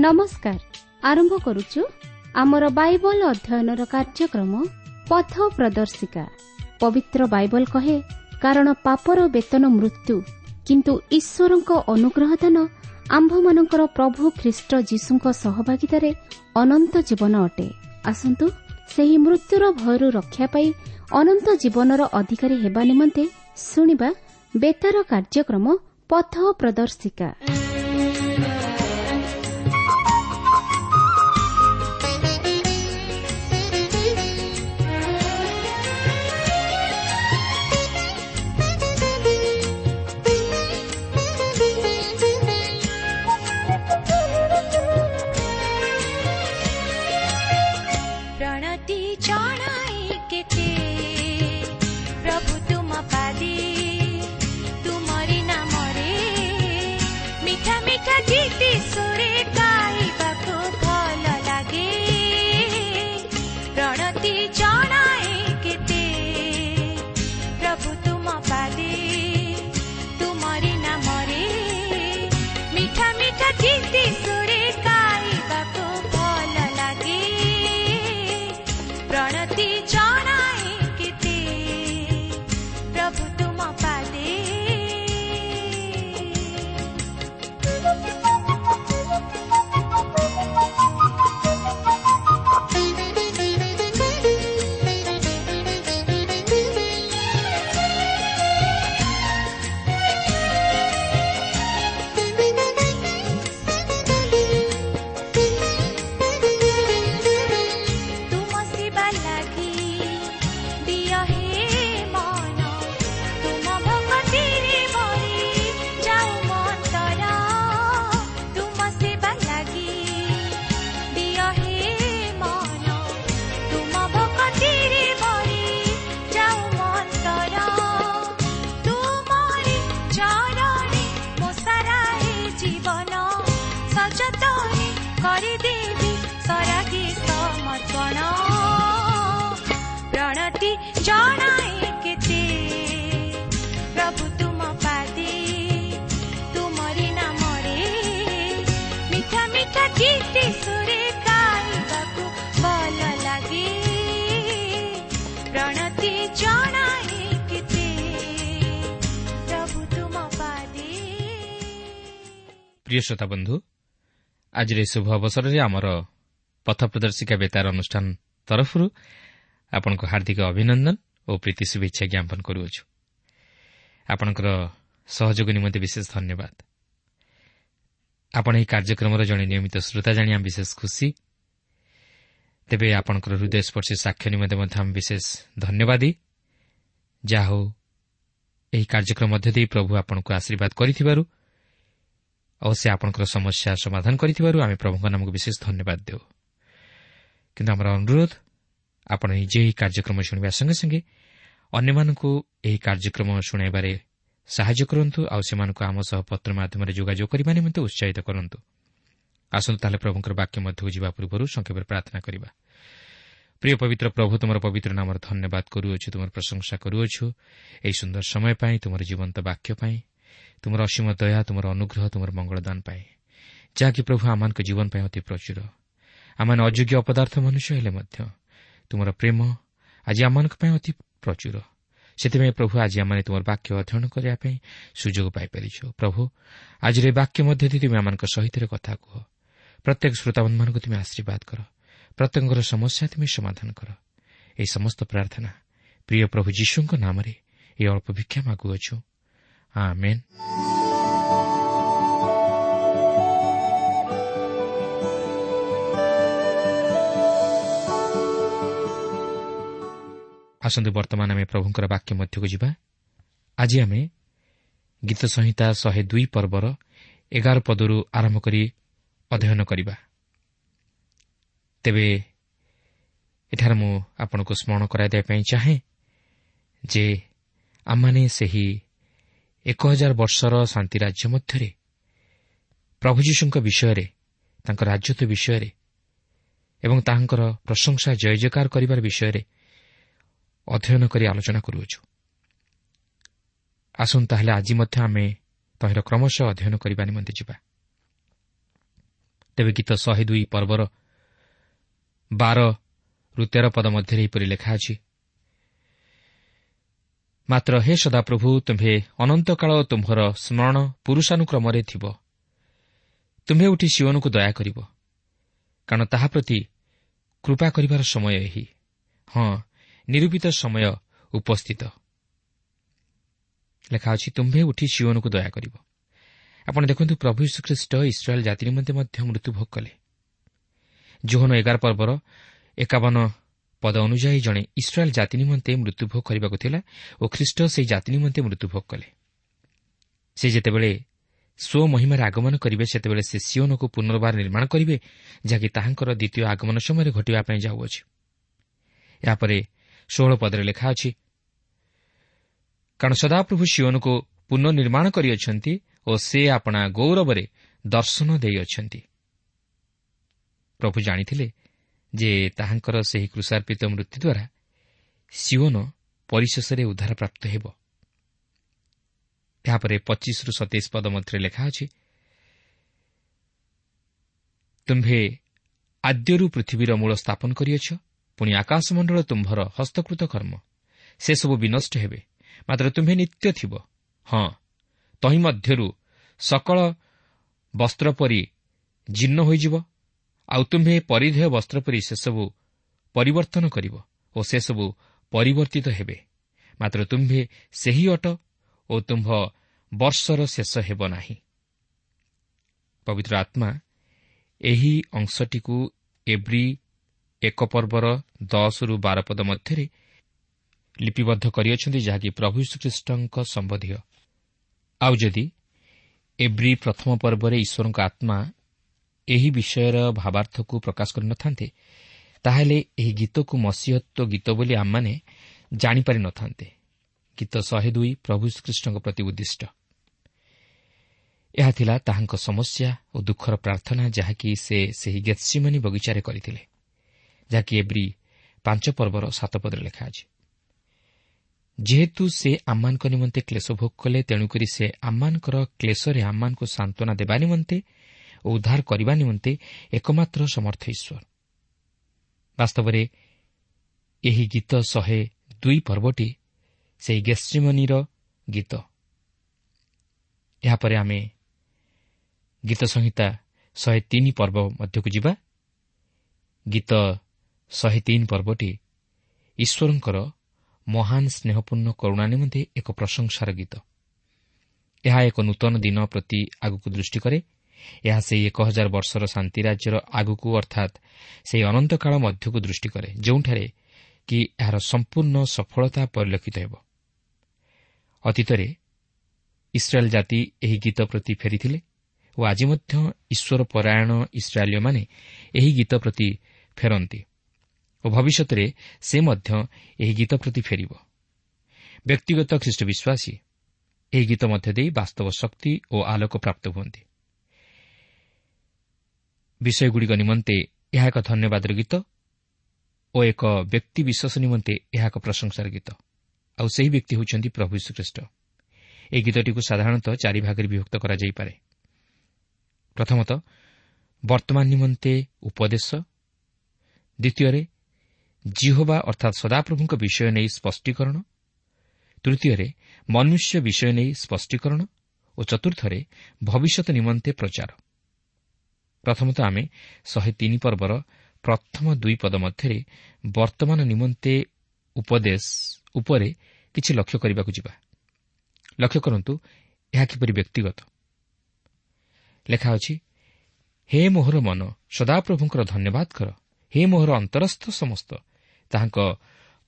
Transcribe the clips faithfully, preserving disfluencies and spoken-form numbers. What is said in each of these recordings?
ନମସ୍କାର। ଆରମ୍ଭ କରୁଛୁ ଆମର ବାଇବଲ ଅଧ୍ୟୟନର କାର୍ଯ୍ୟକ୍ରମ ପଥ ପ୍ରଦର୍ଶିକା। ପବିତ୍ର ବାଇବଲ କହେ, କାରଣ ପାପର ବେତନ ମୃତ୍ୟୁ, କିନ୍ତୁ ଈଶ୍ୱରଙ୍କ ଅନୁଗ୍ରହ ଦାନ ଆମ୍ଭମାନଙ୍କର ପ୍ରଭୁ ଖ୍ରୀଷ୍ଟ ଯୀଶୁଙ୍କ ସହଭାଗିତାରେ ଅନନ୍ତ ଜୀବନ ଅଟେ। ଆସନ୍ତୁ ସେହି ମୃତ୍ୟୁର ଭୟରୁ ରକ୍ଷା ପାଇ ଅନନ୍ତ ଜୀବନର ଅଧିକାରୀ ହେବା ନିମନ୍ତେ ଶୁଣିବା ବେତାର କାର୍ଯ୍ୟକ୍ରମ ପଥ ପ୍ରଦର୍ଶିକା। ପ୍ରଣତି ଜଣାଇ କେତେ ପ୍ରଭୁ ତୁମ ପାଦେ, ତୁମରି ନାମରେ ମିଠା ମିଠା ଗୀତି ସୁରେ ଗାଇବାକୁ ଭଲ ଲାଗେ। ପ୍ରଣତି ଜଣାଇ କେତେ ପ୍ରଭୁ ତୁମ ପାଦେ, ତୁମରି ନାମରେ ମିଠା ମିଠା ଗୀତି ସୁରେ ଗାଇବାକୁ ଭଲ ଲାଗେ। ପ୍ରଣତି ଜଣାଏ କେତେ ପ୍ରଭୁ ତୁମ ପାଦେ। ତୁମ ସେବା ଲାଗି ଦିଅ ହେ ମନ, ତୁମ ଭକତିରେ ଭରି ଯାଉ ମନ୍ତର। ତୁମ ସେବା ଲାଗି ଦିଅ ହେ ମନ, ତୁମ ଭକତିରେ ଭରି ଯାଉ ମନ୍ତର। ତୁମରି ଚରଣେ ମୋ ସାରା ଏ ଜୀବନ ସଯତନେ କରିଦେବି ସରାଗେ ସମର୍ପଣ। ପ୍ରଣତି ଜଣାଏ କେତେ ପ୍ରଭୁ ତୁମ ପାଦେ, ତୁମରି ନାମରେ ମିଠା ମିଠା ଗୀତି ସୁରେ ଗାଇବାକୁ ଭଲ ଲାଗେ। ପ୍ରଣତି ଜଣାଏ କେତେ ପ୍ରଭୁ ତୁମ ପାଦେ। ପ୍ରିୟ ଶ୍ରୋତା ବନ୍ଧୁ, ଆଜିର ଏହି ଶୁଭ ଅବସରରେ ଆମର ପଥ ପ୍ରଦର୍ଶିକା ବେତାର ଅନୁଷ୍ଠାନ ତରଫରୁ ଆପଣଙ୍କୁ ହାର୍ଦ୍ଦିକ ଅଭିନନ୍ଦନ ଓ ପ୍ରୀତି ଶୁଭେଚ୍ଛା ଜ୍ଞାପନ କରୁଅଛୁ। ଆପଣଙ୍କର ସହଯୋଗ ନିମନ୍ତେ ବିଶେଷ ଧନ୍ୟବାଦ। ଆପଣ ଏହି କାର୍ଯ୍ୟକ୍ରମର ଜଣେ ନିୟମିତ ଶ୍ରୋତା ଜାଣି ଆମେ ବିଶେଷ ଖୁସି। ତେବେ ଆପଣଙ୍କର ହୃଦୟସ୍ପର୍ଶୀ ସାକ୍ଷ୍ୟ ନିମନ୍ତେ ମଧ୍ୟ ଆମେ ବିଶେଷ ଧନ୍ୟବାଦୀ। ଯାହା ହେଉ, ଏହି କାର୍ଯ୍ୟକ୍ରମ ମଧ୍ୟ ଦେଇ ପ୍ରଭୁ ଆପଣଙ୍କୁ ଆଶୀର୍ବାଦ କରିଥିବାରୁ ଓ ସେ ଆପଣଙ୍କର ସମସ୍ୟା ସମାଧାନ କରିଥିବାରୁ ଆମେ ପ୍ରଭୁଙ୍କ ନାମକୁ ବିଶେଷ ଧନ୍ୟବାଦ ଦେଉ। କିନ୍ତୁ ଆମର ଅନୁରୋଧ, ଆପଣ ନିଜେ ଏହି କାର୍ଯ୍ୟକ୍ରମ ଶୁଣିବା ସଙ୍ଗେ ସଙ୍ଗେ ଅନ୍ୟମାନଙ୍କୁ ଏହି କାର୍ଯ୍ୟକ୍ରମ ଶୁଣାଇବାରେ ସାହାଯ୍ୟ କରନ୍ତୁ ଆଉ ସେମାନଙ୍କୁ ଆମ ସହ ପତ୍ର ମାଧ୍ୟମରେ ଯୋଗାଯୋଗ କରିବା ନିମନ୍ତେ ଉତ୍ସାହିତ କରନ୍ତୁ। ଆସନ୍ତୁ ତାହେଲେ ପ୍ରଭୁଙ୍କର ବାକ୍ୟ ମଧ୍ୟକୁ ଯିବା ପୂର୍ବରୁ ସଂକ୍ଷେପରେ ପ୍ରାର୍ଥନା କରିବା। ପ୍ରିୟ ପବିତ୍ର ପ୍ରଭୁ, ତୁମର ପବିତ୍ର ନାମର ଧନ୍ୟବାଦ କରୁଅଛୁ, ତୁମର ପ୍ରଶଂସା କରୁଅଛୁ ଏହି ସୁନ୍ଦର ସମୟ ପାଇଁ, ତୁମର ଜୀବନ୍ତ ବାକ୍ୟ ପାଇଁ, ତୁମର ଅସୀମ ଦୟା, ତୁମର ଅନୁଗ୍ରହ, ତୁମର ମଙ୍ଗଳଦାନ ପାଇଁ, ଯାହାକି ପ୍ରଭୁ ଆମମାନଙ୍କ ଜୀବନ ପାଇଁ ଅତି ପ୍ରଚୁର। ଆମମାନେ ଅଯୋଗ୍ୟ ଅପଦାର୍ଥ ମନୁଷ୍ୟ ହେଲେ ମଧ୍ୟ ତୁମର ପ୍ରେମ ଆଜି ଆମମାନଙ୍କ ପାଇଁ ଅତି ପ୍ରଚୁର। ସେଥିପାଇଁ ପ୍ରଭୁ ଆଜି ଆମମାନେ ତୁମର ବାକ୍ୟ ଅଧ୍ୟୟନ କରିବା ପାଇଁ ସୁଯୋଗ ପାଇପାରିଛୁ। ପ୍ରଭୁ, ଆଜିର ଏ ବାକ୍ୟ ମଧ୍ୟ ଦେଇ ତୁମେ ଆମମାନଙ୍କ ସହିତ କଥା କୁହ। ପ୍ରତ୍ୟେକ ଶ୍ରୋତାବନ୍ଧୁମାନଙ୍କୁ ତୁମେ ଆଶୀର୍ବାଦ କର, ପ୍ରତ୍ୟେକଙ୍କର ସମସ୍ୟା ତୁମେ ସମାଧାନ କର। ଏହି ସମସ୍ତ ପ୍ରାର୍ଥନା ପ୍ରିୟ ପ୍ରଭୁ ଯୀଶୁଙ୍କ ନାମରେ ଏହି ଅଳ୍ପ ଭିକ୍ଷା ମାଗୁଅଛୁ, ଆମେନ୍। ଆସନ୍ତୁ ବର୍ତ୍ତମାନ ଆମେ ପ୍ରଭୁଙ୍କର ବାକ୍ୟ ମଧ୍ୟକୁ ଯିବା। ଆଜି ଆମେ ଗୀତ ସଂହିତା ଶହେ ଦୁଇ ପର୍ବର ଏଗାର ପଦରୁ ଆରମ୍ଭ କରି ଅଧ୍ୟୟନ କରିବା। ତେବେ ଏଠାରେ ମୁଁ ଆପଣଙ୍କୁ ସ୍ମରଣ କରାଇ ଦେବା ପାଇଁ ଚାହେଁ ଯେ ଆମମାନେ ସେହି ଏକ ହଜାର ବର୍ଷର ଶାନ୍ତି ରାଜ୍ୟ ମଧ୍ୟରେ ପ୍ରଭୁ ଯୀଶୁଙ୍କ ବିଷୟରେ, ତାଙ୍କ ରାଜତ୍ୱ ବିଷୟରେ ଏବଂ ତାହାଙ୍କର ପ୍ରଶଂସା ଜୟ ଜୟକାର କରିବାର ବିଷୟରେ ଅଧ୍ୟୟନ କରି ଆଲୋଚନା କରୁଅଛୁ। ଆସନ୍ତୁ ତାହେଲେ ଆଜି ମଧ୍ୟ ଆମେ ତହିଁର କ୍ରମଶଃ ଅଧ୍ୟୟନ କରିବା ନିମନ୍ତେ ଯିବା। ତେବେ ଗୀତ ଶହେ ଦୁଇ ପର୍ବର ବାରରୁ ତେର ପଦ ମଧ୍ୟରେ ଏହିପରି ଲେଖା ଅଛି, ମାତ୍ର ହେ ସଦାପ୍ରଭୁ, ତୁମ୍ଭେ ଅନନ୍ତକାଳ ତୁମ୍ଭର ସ୍ମରଣ ପୁରୁଷାନୁକ୍ରମରେ ଥିବ। ତୁମ୍ଭେ ଉଠି ସିଓନକୁ ଦୟା କରିବ, କାରଣ ତାହା ପ୍ରତି କୃପା କରିବାର ସମୟ ଏହି, ହଁ ନିରୂପିତ ସମୟ ଉପସ୍ଥିତ। ଲେଖା ଅଛି, ତୁମ୍ଭେ ଉଠି ସିଓନକୁ ଦୟା କରିବ। ଆପଣ ଦେଖନ୍ତୁ, ପ୍ରଭୁ ଯୀଶୁଖ୍ରୀଷ୍ଟ ଇସ୍ରାଏଲ୍ ଜାତି ନିମନ୍ତେ ମଧ୍ୟ ମୃତ୍ୟୁଭୋଗ କଲେ। ଯୋହନ ଏଗାର ପର୍ବର ଏକାବନ ପଦ ଅନୁଯାୟୀ ଜଣେ ଇସ୍ରାଏଲ୍ ଜାତି ନିମନ୍ତେ ମୃତ୍ୟୁଭୋଗ କରିବାକୁ ଥିଲା ଓ ଖ୍ରୀଷ୍ଟ ସେହି ଜାତି ନିମନ୍ତେ ମୃତ୍ୟୁଭୋଗ କଲେ। ସେ ଯେତେବେଳେ ସ୍ୱମହିମାରେ ଆଗମନ କରିବେ, ସେତେବେଳେ ସେ ସିଓନକୁ ପୁନର୍ବାର ନିର୍ମାଣ କରିବେ, ଯାହାକି ତାହାଙ୍କର ଦ୍ୱିତୀୟ ଆଗମନ ସମୟରେ ଘଟିବା ପାଇଁ ଯାଉଅଛି। ଏହାପରେ ଷୋହଳ ପଦରେ ଲେଖା ଅଛି, କାରଣ ସଦାପ୍ରଭୁ ସିଓନକୁ ପୁନଃନିର୍ମାଣ କରିଅଛନ୍ତି ଓ ସେ ଆପଣା ଗୌରବରେ ଦର୍ଶନ ଦେଇଅଛନ୍ତି। ପ୍ରଭୁ ଜାଣିଥିଲେ ଯେ ତାହାଙ୍କର ସେହି କୃଷାର୍ପିତ ମୃତ୍ୟୁ ଦ୍ୱାରା ସିଓନ ପରିଶେଷରେ ଉଦ୍ଧାରପ୍ରାପ୍ତ ହେବ। ଏହାପରେ ପଚିଶରୁ ସତେଇଶ ପଦ ମଧ୍ୟରେ ଲେଖା ଅଛି, ତୁମ୍ଭେ ଆଦ୍ୟରୁ ପୃଥିବୀର ମୂଳ ସ୍ଥାପନ କରିଅଛ, ପୁଣି ଆକାଶମଣ୍ଡଳ ତୁମ୍ଭର ହସ୍ତକୃତ କର୍ମ। ସେସବୁ ବିନଷ୍ଟ ହେବେ, ମାତ୍ର ତୁମ୍ଭେ ନିତ୍ୟ ଥିବ। ହଁ, ତହିଁ ମଧ୍ୟରୁ ସକଳ ବସ୍ତ୍ର ପରି ଜୀର୍ଣ୍ଣ ହୋଇଯିବ, ଆଉ ତୁମ୍ଭେ ପରିଧେୟ ବସ୍ତ୍ର ପରି ସେସବୁ ପରିବର୍ତ୍ତନ କରିବ ଓ ସେସବୁ ପରିବର୍ତ୍ତିତ ହେବେ, ମାତ୍ର ତୁମ୍ଭେ ସେହି ଅଟ ଓ ତୁମ୍ଭ ବର୍ଷର ଶେଷ ହେବ ନାହିଁ। ପବିତ୍ର ଆତ୍ମା ଏହି ଅଂଶଟିକୁ ଏବ୍ରୀ ଏକ ପର୍ବର ଦଶରୁ ବାର ପଦ ମଧ୍ୟରେ ଲିପିବଦ୍ଧ କରିଅଛନ୍ତି, ଯାହାକି ପ୍ରଭୁ ଯୀଶୁଖ୍ରୀଷ୍ଟଙ୍କ ସମ୍ବନ୍ଧୀୟ। ଆଉ ଯଦି ଏବ୍ରୀ ପ୍ରଥମ ପର୍ବରେ ଈଶ୍ୱରଙ୍କ ଆତ୍ମା ଏହି ବିଷୟର ଭାବାର୍ଥକୁ ପ୍ରକାଶ କରିନଥାନ୍ତେ, ତାହେଲେ ଏହି ଗୀତକୁ ମସିହତ୍ୱ ଗୀତ ବୋଲି ଆମମାନେ ଜାଣିପାରିନଥାନ୍ତେ। ଗୀତ ଶହେ ଦୁଇ ପ୍ରଭୁ ଯୀଶୁଖ୍ରୀଷ୍ଟଙ୍କ ପ୍ରତି ଉଦ୍ଦିଷ୍ଟ। ଏହା ଥିଲା ତାହାଙ୍କ ସମସ୍ୟା ଓ ଦୁଃଖର ପ୍ରାର୍ଥନା, ଯାହାକି ସେ ସେହି ଗେତ୍ସିମନି ବଗିଚାରେ କରିଥିଲେ, ଯାହାକି ଏବ୍ରୀ ପାଞ୍ଚ ପର୍ବର ସାତ ପଦରେ ଲେଖା ଅଛି। ଯେହେତୁ ସେ ଆମମାନଙ୍କ ନିମନ୍ତେ କ୍ଲେଶ ଭୋଗ କଲେ, ତେଣୁକରି ସେ ଆମମାନଙ୍କର କ୍ଲେଶରେ ଆମମାନଙ୍କୁ ସାନ୍ତ୍ୱନା ଦେବା ନିମନ୍ତେ ଓ ଉଦ୍ଧାର କରିବା ନିମନ୍ତେ ଏକମାତ୍ର ସମର୍ଥ ଈଶ୍ୱର। ବାସ୍ତବରେ ଏହି ଗୀତ ଶହେ ଦୁଇ ପର୍ବଟି ସେହି ଗେତ୍ସିମନିର ଗୀତ। ଏହାପରେ ଆମେ ଗୀତ ସଂହିତା ଶହେ ତିନି ପର୍ବ ମଧ୍ୟକୁ ଯିବା। ଗୀତ ଶହେ ତିନି ପର୍ବଟି ଈଶ୍ୱରଙ୍କର ମହାନ ସ୍ନେହପୂର୍ଣ୍ଣ କରୁଣା ନିମନ୍ତେ ଏକ ପ୍ରଶଂସାର ଗୀତ। ଏହା ଏକ ନୂତନ ଦିନ ପ୍ରତି ଆଗକୁ ଦୃଷ୍ଟି କରେ। ଏହା ସେହି ଏକ ହଜାର ବର୍ଷର ଶାନ୍ତି ରାଜ୍ୟର ଆଗକୁ, ଅର୍ଥାତ୍ ସେହି ଅନନ୍ତକାଳ ମଧ୍ୟକୁ ଦୃଷ୍ଟି କରେ, ଯେଉଁଠାରେ କି ଏହାର ସମ୍ପୂର୍ଣ୍ଣ ସଫଳତା ପରିଲକ୍ଷିତ ହେବ। ଅତୀତରେ ଇସ୍ରାଏଲ୍ ଜାତି ଏହି ଗୀତ ପ୍ରତି ଫେରିଥିଲେ ଓ ଆଜି ମଧ୍ୟ ଈଶ୍ୱର ପରାୟଣ ଇସ୍ରାଏଲୀୟମାନେ ଏହି ଗୀତ ପ୍ରତି ଫେରନ୍ତି ଓ ଭବିଷ୍ୟତରେ ସେ ମଧ୍ୟ ଏହି ଗୀତ ପ୍ରତି ଫେରିବ। ବ୍ୟକ୍ତିଗତ ଖ୍ରୀଷ୍ଟ ବିଶ୍ୱାସୀ ଏହି ଗୀତ ମଧ୍ୟ ଦେଇ ବାସ୍ତବ ଶକ୍ତି ଓ ଆଲୋକ ପ୍ରାପ୍ତ ହୁଅନ୍ତି। ବିଷୟଗୁଡ଼ିକ ନିମନ୍ତେ ଏହା ଏକ ଧନ୍ୟବାଦର ଗୀତ ଓ ଏକ ବ୍ୟକ୍ତି ବିଶ୍ୱାସ ନିମନ୍ତେ ଏହା ଏକ ପ୍ରଶଂସାର ଗୀତ। ଆଉ ସେହି ବ୍ୟକ୍ତି ହେଉଛନ୍ତି ପ୍ରଭୁ ଯୀଶୁଖ୍ରୀଷ୍ଟ। ଏହି ଗୀତଟିକୁ ସାଧାରଣତଃ ଚାରି ଭାଗରେ ବିଭକ୍ତ କରାଯାଇପାରେ। ପ୍ରଥମତଃ ବର୍ତ୍ତମାନ ନିମନ୍ତେ ଉପଦେଶ, ଦ୍ୱିତୀୟରେ ଜିହୋବା ଅର୍ଥାତ୍ ସଦାପ୍ରଭୁଙ୍କ ବିଷୟ ନେଇ ସ୍ପଷ୍ଟୀକରଣ, ତୃତୀୟରେ ମନୁଷ୍ୟ ବିଷୟ ନେଇ ସ୍ପଷ୍ଟୀକରଣ ଓ ଚତୁର୍ଥରେ ଭବିଷ୍ୟତ ନିମନ୍ତେ ପ୍ରଚାର। ପ୍ରଥମତଃ ଆମେ ଶହେ ତିନି ପର୍ବର ପ୍ରଥମ ଦୁଇ ପଦ ମଧ୍ୟରେ ବର୍ତ୍ତମାନ ନିମନ୍ତେ ଉପଦେଶ ଉପରେ କିଛି ଲକ୍ଷ୍ୟ କରିବାକୁ ଯିବା। ଲକ୍ଷ୍ୟ କରନ୍ତୁ ଏହା କିପରି ବ୍ୟକ୍ତିଗତ। ଲେଖା ଅଛି, ହେ ମୋହର ମନ, ସଦାପ୍ରଭୁଙ୍କର ଧନ୍ୟବାଦ କର। ହେ ମୋହର ଅନ୍ତରସ୍ଥ ସମସ୍ତ, ତାହାଙ୍କ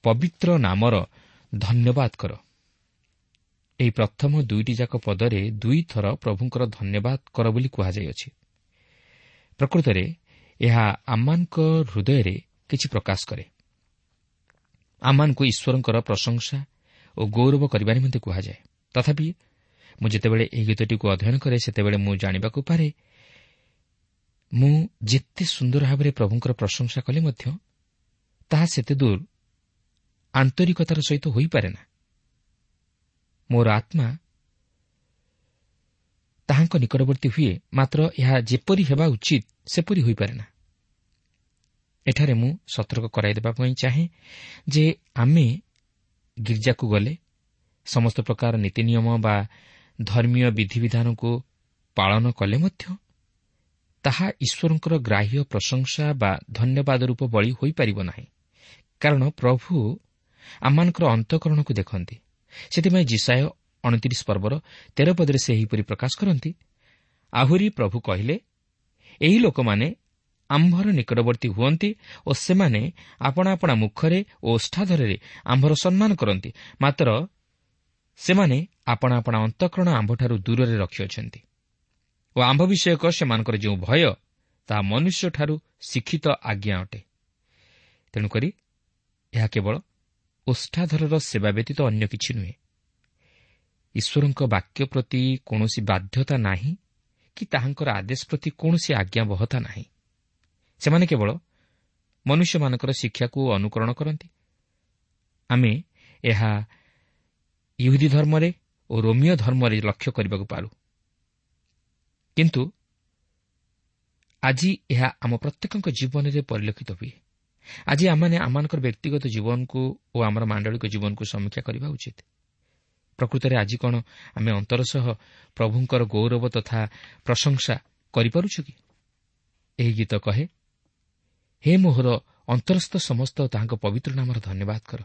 ପବିତ୍ର ନାମର ଧନ୍ୟବାଦ କର। ଏହି ପ୍ରଥମ ଦୁଇଟି ଯାକ ପଦରେ ଦୁଇଥର ପ୍ରଭୁଙ୍କର ଧନ୍ୟବାଦ କର ବୋଲି କୁହାଯାଇଅଛି। ପ୍ରକୃତରେ ଏହା ଆମମାନଙ୍କ ହୃଦୟରେ କିଛି ପ୍ରକାଶ କରେ। ଆମମାନଙ୍କୁ ଈଶ୍ୱରଙ୍କର ପ୍ରଶଂସା ଓ ଗୌରବ କରିବା ନିମନ୍ତେ କୁହାଯାଏ। ତଥାପି ମୁଁ ଯେତେବେଳେ ଏହି ଗୀତଟିକୁ ଅଧ୍ୟୟନ କରେ, ସେତେବେଳେ ମୁଁ ଜାଣିବାକୁ ପାରେ ମୁଁ ଯେତେ ସୁନ୍ଦର ଭାବରେ ପ୍ରଭୁଙ୍କର ପ୍ରଶଂସା କଲେ ମଧ୍ୟ ତାହା ସେତେ ଦୂର ଆନ୍ତରିକତାର ସହିତ ହୋଇପାରେ ନା। ମୋର ଆତ୍ମା ତାହାଙ୍କ ନିକଟବର୍ତ୍ତୀ ହୁଏ, ମାତ୍ର ଏହା ଯେପରି ହେବା ଉଚିତ ସେପରି ହୋଇପାରେ ନା। ଏଠାରେ ମୁଁ ସତର୍କ କରାଇଦେବା ପାଇଁ ଚାହେଁ ଯେ ଆମେ ଗିର୍ଜାକୁ ଗଲେ ସମସ୍ତ ପ୍ରକାର ନୀତି ନିୟମ ବା ଧର୍ମୀୟ ବିଧିବିଧାନକୁ ପାଳନ କଲେ ମଧ୍ୟ ତାହା ଈଶ୍ୱରଙ୍କର ଗ୍ରାହ୍ୟ ପ୍ରଶଂସା ବା ଧନ୍ୟବାଦ ରୂପ ବଳି ହୋଇପାରିବ ନାହିଁ, କାରଣ ପ୍ରଭୁ ଆମମାନଙ୍କର ଅନ୍ତଃକରଣକୁ ଦେଖନ୍ତି। ସେଥିପାଇଁ ଯିଶାଇୟ ଅଣତିରିଶ ପର୍ବର ତେର ପଦରେ ସେ ଏହିପରି ପ୍ରକାଶ କରନ୍ତି, ଆହୁରି ପ୍ରଭୁ କହିଲେ, ଏହି ଲୋକମାନେ ଆମ୍ଭର ନିକଟବର୍ତ୍ତୀ ହୁଅନ୍ତି ଓ ସେମାନେ ଆପଣା ଆପଣା ମୁଖରେ ଓ ଓଷ୍ଠାଧରରେ ଆମ୍ଭର ସମ୍ମାନ କରନ୍ତି, ମାତ୍ର ସେମାନେ ଆପଣା ଆପଣା ଅନ୍ତଃକରଣ ଆମ୍ଭଠାରୁ ଦୂରରେ ରଖିଅଛନ୍ତି ଓ ଆମ୍ଭ ବିଷୟକ ସେମାନଙ୍କର ଯେଉଁ ଭୟ ତାହା ମନୁଷ୍ୟଠାରୁ ଶିକ୍ଷିତ ଆଜ୍ଞା ଅଟେ। ତେଣୁକରି ଏହା କେବଳ ଓଷ୍ଠାଧରର ସେବା ବ୍ୟତୀତ ଅନ୍ୟ କିଛି ନୁହେଁ। ଈଶ୍ୱରଙ୍କ ବାକ୍ୟ ପ୍ରତି କୌଣସି ବାଧ୍ୟତା ନାହିଁ କି ତାହାଙ୍କର ଆଦେଶ ପ୍ରତି କୌଣସି ଆଜ୍ଞାବହତା ନାହିଁ। ସେମାନେ କେବଳ ମନୁଷ୍ୟମାନଙ୍କର ଶିକ୍ଷାକୁ ଅନୁକରଣ କରନ୍ତି। ଆମେ ଏହା ଇହୁଦୀ ଧର୍ମରେ ଓ ରୋମୀୟ ଧର୍ମରେ ଲକ୍ଷ୍ୟ କରିବାକୁ ପାରୁ, କିନ୍ତୁ ଆଜି ଏହା ଆମ ପ୍ରତ୍ୟେକଙ୍କ ଜୀବନରେ ପରିଲକ୍ଷିତ ହୁଏ। ଆଜି ଆମମାନେ ଆମମାନଙ୍କର ବ୍ୟକ୍ତିଗତ ଜୀବନକୁ ଓ ଆମର ମାଣ୍ଡଳିକ ଜୀବନକୁ ସମୀକ୍ଷା କରିବା ଉଚିତ। ପ୍ରକୃତରେ ଆଜି କ'ଣ ଆମେ ଅନ୍ତର ସହ ପ୍ରଭୁଙ୍କର ଗୌରବ ତଥା ପ୍ରଶଂସା କରିପାରୁଛୁ କି? ଏହି ଗୀତ କହେ, ହେ ମୋହର ଅନ୍ତରସ୍ଥ ସମସ୍ତ ତାହାଙ୍କ ପବିତ୍ର ନାମର ଧନ୍ୟବାଦ କର।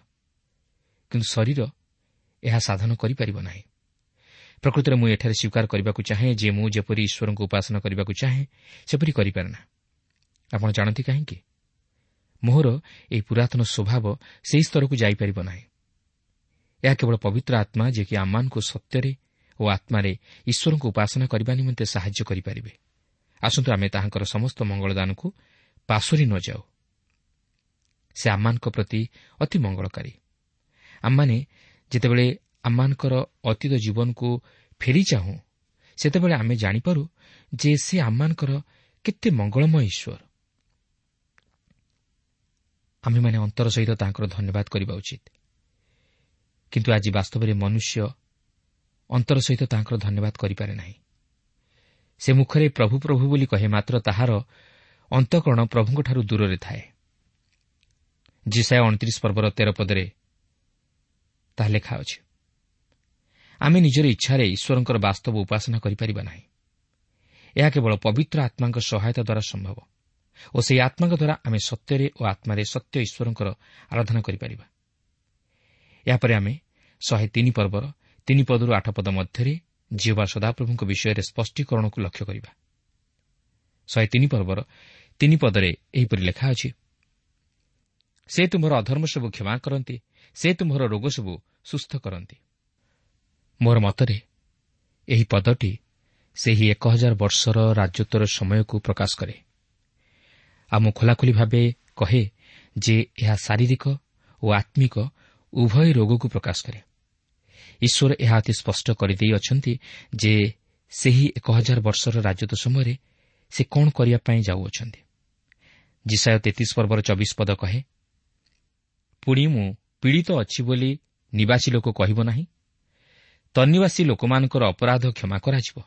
କିନ୍ତୁ ଶରୀର ଏହା ସାଧନ କରିପାରିବ ନାହିଁ। ପ୍ରକୃତରେ ମୁଁ ଏଠାରେ ସ୍ୱୀକାର କରିବାକୁ ଚାହେଁ ଯେ ମୁଁ ଯେପରି ଈଶ୍ୱରଙ୍କୁ ଉପାସନା କରିବାକୁ ଚାହେଁ ସେପରି କରିପାରେ ନା। ଆପଣ ଜାଣନ୍ତି କାହିଁକି? ମୋହର ଏହି ପୁରାତନ ସ୍ୱଭାବ ସେହି ସ୍ତରକୁ ଯାଇପାରିବ ନାହିଁ। ଏହା କେବଳ ପବିତ୍ର ଆତ୍ମା ଯିଏକି ଆମମାନଙ୍କୁ ସତ୍ୟରେ ଓ ଆତ୍ମାରେ ଈଶ୍ୱରଙ୍କୁ ଉପାସନା କରିବା ନିମନ୍ତେ ସାହାଯ୍ୟ କରିପାରିବେ। ଆସନ୍ତୁ ଆମେ ତାହାଙ୍କର ସମସ୍ତ ମଙ୍ଗଳଦାନକୁ ପାଶୋରି ନ ଯାଉ। ସେ ଆମମାନଙ୍କ ପ୍ରତି ଅତି ମଙ୍ଗଳକାରୀ। ଆମମାନେ ଯେତେବେଳେ ଆମମାନଙ୍କର ଅତୀତ ଜୀବନକୁ ଫେରି ଚାହୁଁ, ସେତେବେଳେ ଆମେ ଜାଣିପାରୁ ଯେ ସେ ଆମମାନଙ୍କର କେତେ ମଙ୍ଗଳମୟ ଈଶ୍ୱର। ଆମେମାନେ ଅନ୍ତର ସହିତ ତାଙ୍କର ଧନ୍ୟବାଦ କରିବା ଉଚିତ। କିନ୍ତୁ ଆଜି ବାସ୍ତବରେ ମନୁଷ୍ୟ ଅନ୍ତର ସହିତ ତାଙ୍କର ଧନ୍ୟବାଦ କରିପାରେ ନାହିଁ। ସେ ମୁଖରେ ପ୍ରଭୁ ପ୍ରଭୁ ବୋଲି କହେ, ମାତ୍ର ତାହାର ଅନ୍ତଃକରଣ ପ୍ରଭୁଙ୍କଠାରୁ ଦୂରରେ ଥାଏ। ଯିଶାଇୟ ଅଣତିରିଶ ପର୍ବର ତେର ପଦରେ ତାହା ଲେଖା ଅଛି। ଆମେ ନିଜର ଇଚ୍ଛାରେ ଈଶ୍ୱରଙ୍କର ବାସ୍ତବ ଉପାସନା କରିପାରିବା ନାହିଁ। ଏହା କେବଳ ପବିତ୍ର ଆତ୍ମାଙ୍କ ସହାୟତା ଦ୍ୱାରା ସମ୍ଭବ ଓ ସେହି ଆତ୍ମାଙ୍କ ଦ୍ୱାରା ଆମେ ସତ୍ୟରେ ଓ ଆତ୍ମାରେ ସତ୍ୟ ଈଶ୍ୱରଙ୍କର ଆରାଧନା କରିପାରିବା। ଏହାପରେ ଆମେ ଶହେ ତିନି ପର୍ବର ତିନି ପଦରୁ ଆଠ ପଦ ମଧ୍ୟରେ ଯିହୋବା ସଦାପ୍ରଭୁଙ୍କ ବିଷୟରେ ସ୍ପଷ୍ଟୀକରଣକୁ ଲକ୍ଷ୍ୟ କରିବା। ଶହେ ତିନି ପର୍ବର ତିନି ପଦରେ ଏହିପରି ଲେଖା ଅଛି, ସେ ତୁମର ଅଧର୍ମ ସବୁ କ୍ଷମା କରନ୍ତି, ସେ ତୁମର ରୋଗ ସବୁ ସୁସ୍ଥ କରନ୍ତି। ମୋର ମତରେ ଏହି ପଦଟି ସେହି ଏକ ହଜାର ବର୍ଷର ରାଜତ୍ୱର ସମୟକୁ ପ୍ରକାଶ କରେ। ଆଉ ମୁଁ ଖୋଲାଖୋଲି ଭାବେ କହେ ଯେ ଏହା ଶାରୀରିକ ଓ ଆତ୍ମିକ ଉଭୟ ରୋଗକୁ ପ୍ରକାଶ କରେ। ଈଶ୍ୱର ଏହା ଅତି ସ୍ପଷ୍ଟ କରିଦେଇଅଛନ୍ତି ଯେ ସେହି ଏକ ହଜାର ବର୍ଷର ରାଜତ୍ୱ ସମୟରେ ସେ କ'ଣ କରିବା ପାଇଁ ଯାଉଅଛନ୍ତି। ଯିଶାଇୟ ତେତିଶ ପର୍ବର ଚବିଶ ପଦ କହେ, ପୁଣି ମୁଁ ପୀଡ଼ିତ ଅଛି ବୋଲି ନିବାସୀ ଲୋକ କହିବ ନାହିଁ, ତନ୍ନିବାସୀ ଲୋକମାନଙ୍କର ଅପରାଧ କ୍ଷମା କରାଯିବ।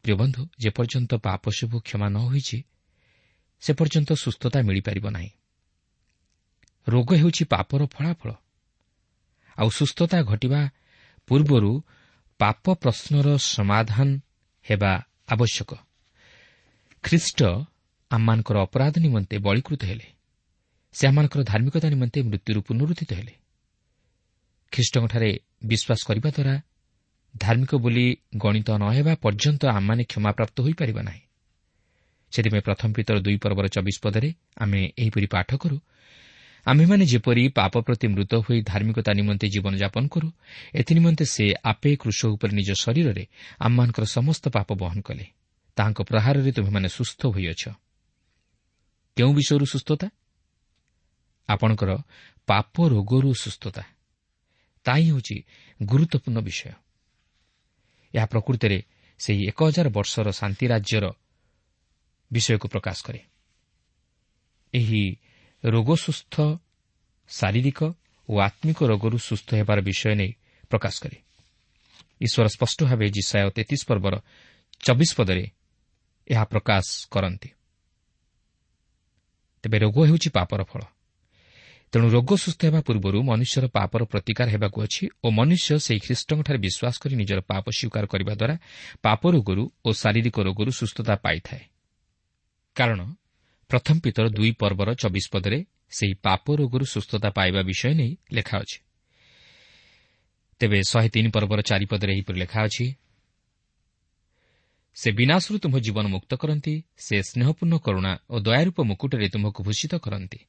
ପ୍ରିୟ ବନ୍ଧୁ, ଯେପର୍ଯ୍ୟନ୍ତ ପାପ ସବୁ କ୍ଷମା ନ ହୋଇଛି ସେ ପର୍ଯ୍ୟନ୍ତ ସୁସ୍ଥତା ମିଳିପାରିବ ନାହିଁ। ରୋଗ ହେଉଛି ପାପର ଫଳାଫଳ, ଆଉ ସୁସ୍ଥତା ଘଟିବା ପୂର୍ବରୁ ପାପ ପ୍ରଶ୍ନର ସମାଧାନ ହେବା ଆବଶ୍ୟକ। ଖ୍ରୀଷ୍ଟ ଆମମାନଙ୍କର ଅପରାଧ ନିମନ୍ତେ ବଳୀକୃତ ହେଲେ, ସେ ଆମମାନଙ୍କର ଧାର୍ମିକତା ନିମନ୍ତେ ମୃତ୍ୟୁରୁ ପୁନରୁତ୍ଥିତ ହେଲେ। ଖ୍ରୀଷ୍ଟଙ୍କଠାରେ ବିଶ୍ୱାସ କରିବା ଦ୍ୱାରା ଧାର୍ମିକ ବୋଲି ଗଣିତ ନ ହେବା ପର୍ଯ୍ୟନ୍ତ ଆମମାନେ କ୍ଷମାପ୍ରାପ୍ତ ହୋଇପାରିବା ନାହିଁ। ସେଥିପାଇଁ ପ୍ରଥମ ପିତର ଦୁଇ ପର୍ବର ଚବିଶ ପଦରେ ଆମେ ଏହିପରି ପାଠ କରୁ, ଆମ୍ଭେମାନେ ଯେପରି ପାପ ପ୍ରତି ମୃତ ହୋଇ ଧାର୍ମିକତା ନିମନ୍ତେ ଜୀବନଯାପନ କରୁ, ଏଥିନିମନ୍ତେ ସେ ଆପେ କ୍ରୁଶ ଉପରେ ନିଜ ଶରୀରରେ ଆମମାନଙ୍କର ସମସ୍ତ ପାପ ବହନ କଲେ। ତାହାଙ୍କ ପ୍ରହାରରେ ତୁମ୍ଭେମାନେ ସୁସ୍ଥ ହୋଇଅଛ। କେଉଁ ବିଷୟରୁ ସୁସ୍ଥତା? ଆପଣଙ୍କର ପାପ ରୋଗରୁ ସୁସ୍ଥତା। ତାହା ହିଁ ହେଉଛି ଗୁରୁତ୍ୱପୂର୍ଣ୍ଣ ବିଷୟ। ଏହା ପ୍ରକୃତରେ ସେହି ଏକ ହଜାର ବର୍ଷର ଶାନ୍ତି ରାଜ୍ୟର ବିଷୟକୁ ପ୍ରକାଶ କରେ। ଏହି ରୋଗ ସୁସ୍ଥ ଶାରୀରିକ ଓ ଆତ୍ମିକ ରୋଗରୁ ସୁସ୍ଥ ହେବାର ବିଷୟ ନେଇ ପ୍ରକାଶ କରେ। ଈଶ୍ୱର ସ୍ପଷ୍ଟ ଭାବେ ଯିଶାଇୟ ତେତିଶ ପର୍ବର ଚବିଶ ପଦରେ ଏହା ପ୍ରକାଶ କରନ୍ତି। ତେବେ ରୋଗ ହେଉଛି ପାପର ଫଳ। ତେଣୁ ରୋଗ ସୁସ୍ଥ ହେବା ପୂର୍ବରୁ ମନୁଷ୍ୟର ପାପର ପ୍ରତିକାର ହେବାକୁ ଅଛି ଓ ମନୁଷ୍ୟ ସେହି ଖ୍ରୀଷ୍ଟଙ୍କଠାରେ ବିଶ୍ୱାସ କରି ନିଜର ପାପ ସ୍ୱୀକାର କରିବା ଦ୍ୱାରା ପାପ ରୋଗରୁ ଓ ଶାରୀରିକ ରୋଗରୁ ସୁସ୍ଥତା ପାଇଥାଏ। କାରଣ ପ୍ରଥମ ପିତର ଦୁଇ ପର୍ବର ଚବିଶ ପଦରେ ସେହି ପାପ ରୋଗରୁ ସୁସ୍ଥତା ପାଇବା ବିଷୟ ନେଇ ଲେଖା ଅଛି। ତେବେ ଶହେ ତିନି ପର୍ବର ଚାରିପଦରେ ଏହିପରି ଲେଖା ଅଛି, ସେ ବିନାଶରୁ ତୁମ୍ଭ ଜୀବନ ମୁକ୍ତ କରନ୍ତି, ସେ ସ୍ନେହପୂର୍ଣ୍ଣ କରୁଣା ଓ ଦୟାରୂପ ମୁକୁଟରେ ତୁମ୍ଭକୁ ଭୂଷିତ କରନ୍ତି।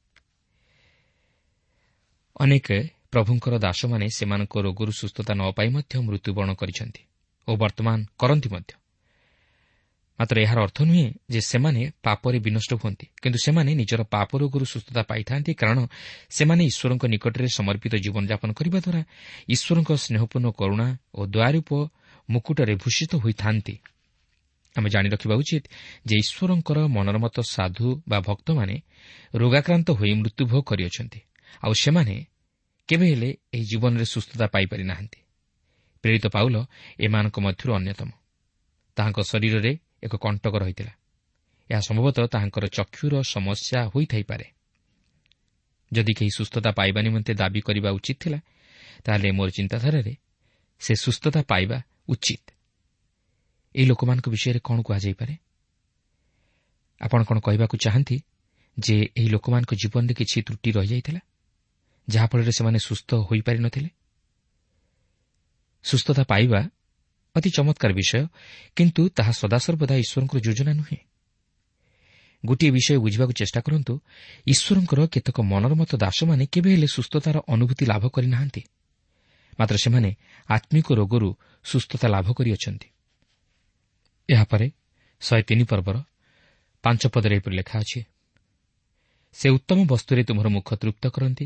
ଅନେକ ପ୍ରଭୁଙ୍କର ଦାସମାନେ ସେମାନଙ୍କ ରୋଗରୁ ସୁସ୍ଥତା ନ ପାଇ ମଧ୍ୟ ମୃତ୍ୟୁବରଣ କରିଛନ୍ତି ଓ ବର୍ତ୍ତମାନ କରନ୍ତି ମଧ୍ୟ। ମାତ୍ର ଏହାର ଅର୍ଥ ନୁହେଁ ଯେ ସେମାନେ ପାପରେ ବିନଷ୍ଟ ହୁଅନ୍ତି, କିନ୍ତୁ ସେମାନେ ନିଜର ପାପ ରୋଗରୁ ସୁସ୍ଥତା ପାଇଥାନ୍ତି, କାରଣ ସେମାନେ ଈଶ୍ୱରଙ୍କ ନିକଟରେ ସମର୍ପିତ ଜୀବନଯାପନ କରିବା ଦ୍ୱାରା ଈଶ୍ୱରଙ୍କ ସ୍ନେହପୂର୍ଣ୍ଣ କରୁଣା ଓ ଦୟାରୂପ ମୁକୁଟରେ ଭୂଷିତ ହୋଇଥାନ୍ତି। ଆମେ ଜାଣି ରଖିବା ଉଚିତ ଯେ ଈଶ୍ୱରଙ୍କର ମନୋରମତ ସାଧୁ ବା ଭକ୍ତମାନେ ରୋଗାକ୍ରାନ୍ତ ହୋଇ ମୃତ୍ୟୁଭୋଗ କରିଅଛନ୍ତି, ଆଉ ସେମାନେ କେବେ ହେଲେ ଏହି ଜୀବନରେ ସୁସ୍ଥତା ପାଇପାରି ନାହାନ୍ତି। ପ୍ରେରିତ ପାଉଲ ଏମାନଙ୍କ ମଧ୍ୟରୁ ଅନ୍ୟତମ। ତାହାଙ୍କ ଶରୀରରେ ଏକ କଣ୍ଟକ ରହିଥିଲା। ଏହା ସମ୍ଭବତଃ ତାହାଙ୍କର ଚକ୍ଷୁର ସମସ୍ୟା ହୋଇଥାଇପାରେ। ଯଦି କେହି ସୁସ୍ଥତା ପାଇବା ନିମନ୍ତେ ଦାବି କରିବା ଉଚିତ ଥିଲା, ତାହେଲେ ମୋର ଚିନ୍ତାଧାରାରେ ସେ ସୁସ୍ଥତା ପାଇବା ଉଚିତ। ଏହି ଲୋକମାନଙ୍କ ବିଷୟରେ କ'ଣ କୁହାଯାଇପାରେ? ଆପଣ କ'ଣ କହିବାକୁ ଚାହାନ୍ତି ଯେ ଏହି ଲୋକମାନଙ୍କ ଜୀବନରେ କିଛି ତ୍ରୁଟି ରହିଯାଇଥିଲା, ଯାହାଫଳରେ ସେମାନେ ସୁସ୍ଥ ହୋଇପାରିନଥିଲେ? ସୁସ୍ଥତା ପାଇବା ଅତି ଚମତ୍କାର ବିଷୟ, କିନ୍ତୁ ତାହା ସଦାସର୍ବଦା ଈଶ୍ୱରଙ୍କର ଯୋଜନା ନୁହେଁ। ଗୋଟିଏ ବିଷୟ ବୁଝିବାକୁ ଚେଷ୍ଟା କରନ୍ତୁ, ଈଶ୍ୱରଙ୍କର କେତେକ ମନୋରମତ ଦାସମାନେ କେବେ ହେଲେ ସୁସ୍ଥତାର ଅନୁଭୂତି ଲାଭ କରିନାହାନ୍ତି, ମାତ୍ର ସେମାନେ ଆତ୍ମିକ ରୋଗରୁ ସୁସ୍ଥତା ଲାଭ କରିଅଛନ୍ତି। ଏହାପରେ ଶହେ ତିନି ପର୍ବର ପାଞ୍ଚ ପଦରେ ଏପରି ଲେଖା ଅଛି, ସେ ଉତ୍ତମ ବସ୍ତୁରେ ତୁମର ମୁଖ ତୃପ୍ତ କରନ୍ତି,